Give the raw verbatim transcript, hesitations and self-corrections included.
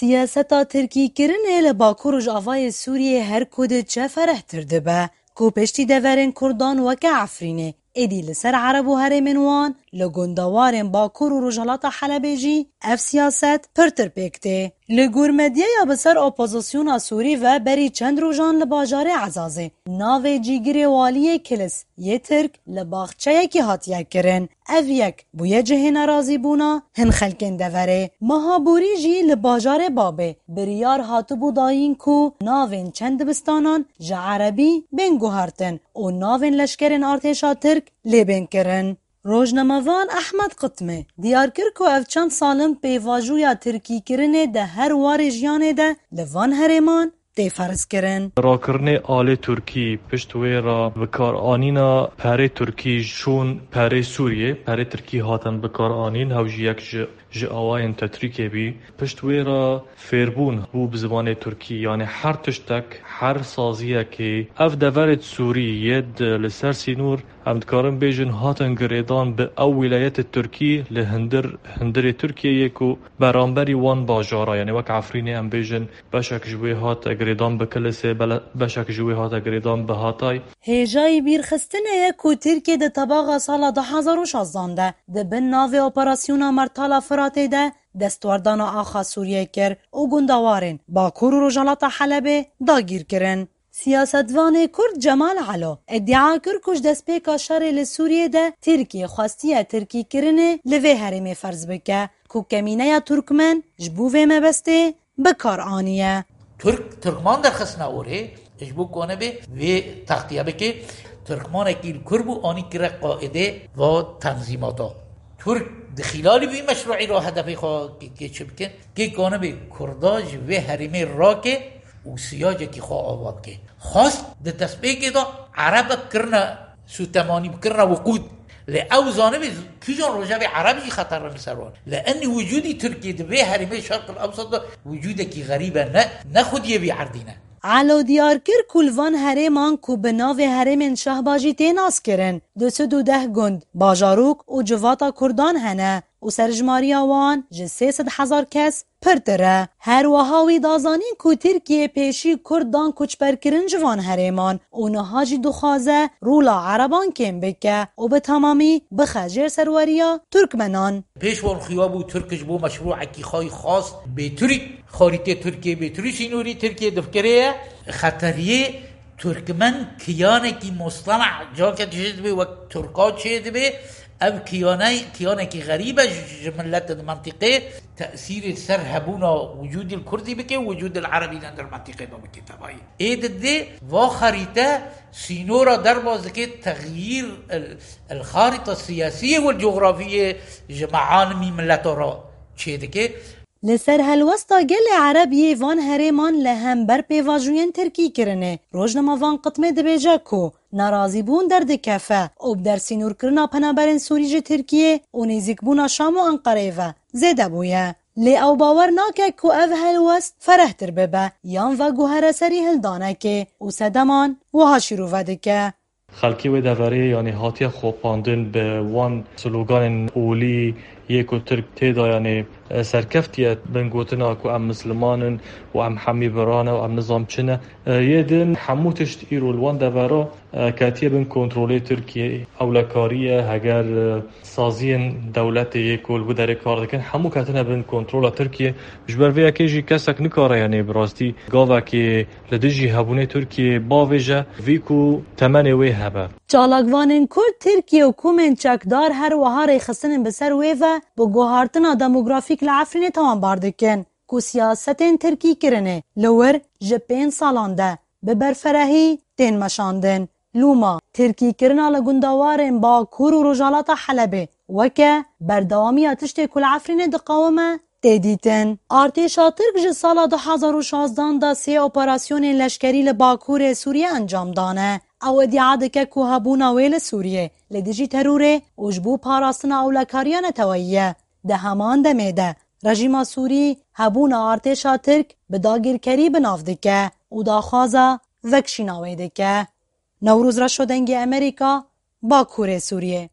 Siyaseta tirkîkirinê li Bakur Rojavayê Sûriyê her ku diçe ferehtir dibe, ku piştî deverên Kurdan weke Efrînê, êdî li ser Ereb û herêmên wan, li gundewarên Bakur û Rojhilata Helebê jî ev siyaset pirtir pêk tê. Li gor medyaya bi ser opozisyona Sûrî ve berî çend rojan li bajarê Ezazê navê cîgirê waliyê Kilis yê Tirk li baxçeyekî hatiye kirin. Ev yek bûye cihê nerazîbûna hin xelkên deverê. Meha borî jî li bajarê Babê biryar hatibû dayîn ku navên çend dibistanan ji erebî bên guhertin û navên leşkerên artêşa Tirk lê bên kirin. Rojnamevan Ehmed Qitmê diyar kir ku ev çend sal in pêvajoya tirkîkirinê di her warê jiyanê de li van herêman tê ferzkirin. Rakirinê alê Tirkî, pişt wê re bikaranîna perê Tirkî şûn perê Sûriyê, perê Tirkî hatin bikaranîn, hew jî yek ji, ji awayên tetrîkê bî. Pişt wê re fêrbûn bû bi zimanê Tirkî, yanî her tiştek, her saziyekê. Ev deverê Sûrî yê di li ser sînor, em dikarin bêjin, hatin girêdan bi ew wîlayetê Tirkî li hundir, hundirê Tirkiyeyê ku beramberî wan bajara, yanî wek Efrînê em bêjin, beşek ji wê hate girêdan bi Kilisê, bele-, beşek ji wê hate girêdan bi Hatay. Hêjayî bîrxistinê ye ku Tirkiye di tebaxa sala du hezar û şazdan de di bin navê Operasyona Mertala Firatê de destwerdana axa Sûriyê kir û gundewarên Bakur û Rojhilata Helebê dagîr kirin. Siyasetvanê Kurd Cemal Elo îdia kir ku ji destpêka şerê li Sûriyê de Tirkiye xwestiye tirkîkirinê li vê herêmê ferz bike ku kemîneya Turkmen ji bo vê mebestê bi kar aniye. Tirk, Tirkman derxistina orê, ji bo ku nebê vê textiye bike, Tirkmanekî li Kurd bû, anî kire qaîdê va tenzîmata. Tirk di xîlalî vî meşruî re hedefê xwe kê, kê çi bikin? Kê ku nebê Kurda ji vê herêmê rake û siyacekî xwe ava bike. Xwest di destpêkê de Erebek kirine sûtemanî, bikirine wiqûd. Lê ew zanibê kîjan rojevê Ereb jî xeter in li ser wan. Li enî wicûdî Tirkiyê di vê herêmê Şerq el Ewsat de wicûdekî xerîb e, ne, ne xwediyê vî erdî ne. Elo diyar kir ku li van herêman ku bi navê herêmên Şehba jî tê naskirin, du sed û deh gund, bajarok û civata Kurdan hene û serjimariya wan ji sê sed hezar kes pirtir e. Her wiha wî da zanîn ku Tirkiye pêşî Kurd dan koçberkirin ji van herêman û niha jî dixwaze rola Ereban kêm bike û bi temamî bixe jêr serweriya Turkmenan. Pêş wan xuya bû Tirk ji bo meşrûekî xwe yî xwest bê Tirk, xarîtê Tirkiyê bê Tirk, sînorî Tirkiyê difikirê ye. Xeteriyê Turkmen kiyanekî mustalac cake çêdibe, wek Tirka çêdibe. Ev kiyane, kiyanekî xerîb e ji, ji miletên mentiqê. Tesîrê ser hebûna wicûdî li Kurdî bike, wicûdî li Erebî li hundir mentiqê de bike tevayî. Ê didê va xerîte sînora derbas dike, texyîr el, el xarîta siyasiyê û cografiyê ji mealimî mileta re çêdike. Li ser helwesta gelê Ereb yê van herêman li hember pêvajoyên tirkîkirinê, rojnamevan Qitmê dibêje ku nerazîbûn derdikefe û bi dersînorkirina penaberên Sûrî ji Tirkiyê û nêzîkbûna Şam û Enqereyê ve zêde bûye. Lê ew bawer nake ku ev helwest ferehtir bibe yan veguhere serî hildanekê û sedeman wiha şîrove dike. Xelkê wê deverê, yanî, hatiye xapandin bi wan sloganên olî yê ku Tirk tê de, yanî, serkeftiye bin gotina ku em misliman in û em hemî biran e û em nizam çi ne. Yê din hemû tişt îro li wan devera ketiye bin kontrolê Tirkiyê. Ewlekarî ye, heger saziyên dewletê yê ku li wî derê kar dikin, hemû ketine bin kontrola Tirkiyê. Ji ber vê yekê jî kesek nikare, yanî, bi rastî gavekê li dijî hebûnê Tirkiyê bavêje, vî ku temenê wê hebe. Çalakvanên Kurd, Tirkiye û komên çekdar her wiha rêxistinên bi ser wê ve bi guhartina demografîk li Efrînê tawanbar dikin ku siyasetên tirkîkirinê li wir ji pênc salan de bi berferehî tên meşandin. Lûma tirkîkirina li gundewarên Bakur û Rojhilata Helebê weke berdewamiya tiştê ku li Efrînê diqewime tê dîtin. Artêşa Tirk ji sala du hezar û şazdan de sê operasyonên leşkerî li Bakurê Sûriyê encam dane. Ew îdia dike ku hebûna wê li Sûriyê li dijî terorê û ji bo parastina ewlekariya neteweyî ye. Di heman demê de rejîma Sûrî hebûna artêşa Tirk bi dagirkerî bi nav dike û daxwaza vekişîna wê dike. Newroz Reşo, Dengê Amerîka, Bakurê Sûriyê.